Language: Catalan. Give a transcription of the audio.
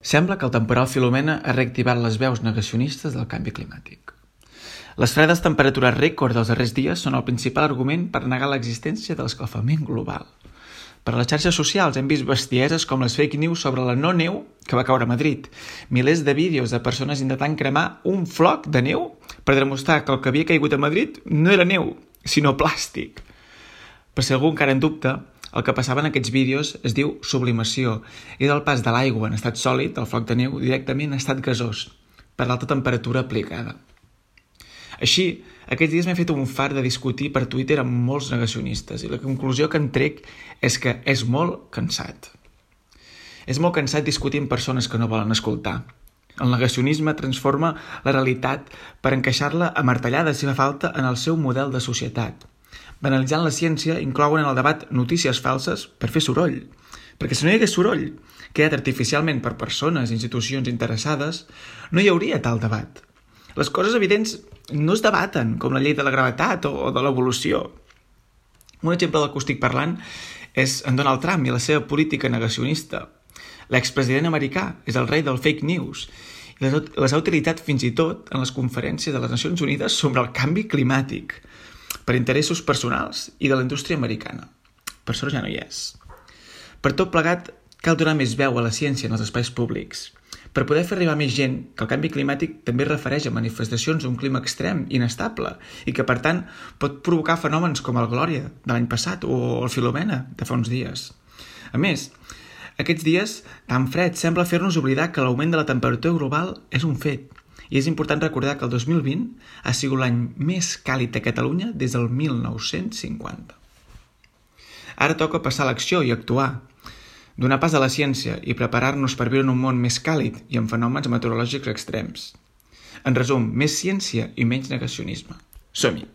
Sembla que el temporal Filomena ha reactivat les veus negacionistes del canvi climàtic. Les fredes temperatures rècord dels darrers dies són el principal argument per negar l'existència de l'escalfament global. Per a les xarxes socials hem vist bestieses com les fake news sobre la no neu que va caure a Madrid, milers de vídeos de persones intentant cremar un floc de neu per demostrar que el que havia caigut a Madrid no era neu, sinó plàstic. Per si algú encara en dubta, el que passava en aquests vídeos es diu sublimació i del pas de l'aigua en estat sòlid, el floc de neu, directament en estat gasós, per l'alta temperatura aplicada. Així, aquests dies m'he fet un fart de discutir per Twitter amb molts negacionistes i la conclusió que en trec és que és molt cansat. És molt cansat discutir amb persones que no volen escoltar. El negacionisme transforma la realitat per encaixar-la a martellades si fa falta en el seu model de societat. Banalitzant la ciència, inclouen en el debat notícies falses per fer soroll. Perquè si no hi hagués soroll, creat artificialment per persones i institucions interessades, no hi hauria tal debat. Les coses evidents no es debaten, com la llei de la gravetat o de l'evolució. Un exemple del que estic parlant és en Donald Trump i la seva política negacionista. L'expresident americà és el rei del fake news i les ha utilitzat fins i tot en les conferències de les Nacions Unides sobre el canvi climàtic, per interessos personals i de la indústria americana. Per sort ja no hi és. Per tot plegat, cal donar més veu a la ciència en els espais públics, per poder fer arribar més gent que el canvi climàtic també es refereix a manifestacions d'un clima extrem, inestable, i que, per tant, pot provocar fenòmens com el Glòria de l'any passat o el Filomena de fa uns dies. A més, aquests dies tan fred sembla fer-nos oblidar que l'augment de la temperatura global és un fet, i és important recordar que el 2020 ha sigut l'any més càlid a Catalunya des del 1950. Ara toca passar a l'acció i actuar, donar pas a la ciència i preparar-nos per viure en un món més càlid i amb fenòmens meteorològics extrems. En resum, més ciència i menys negacionisme. Som-hi!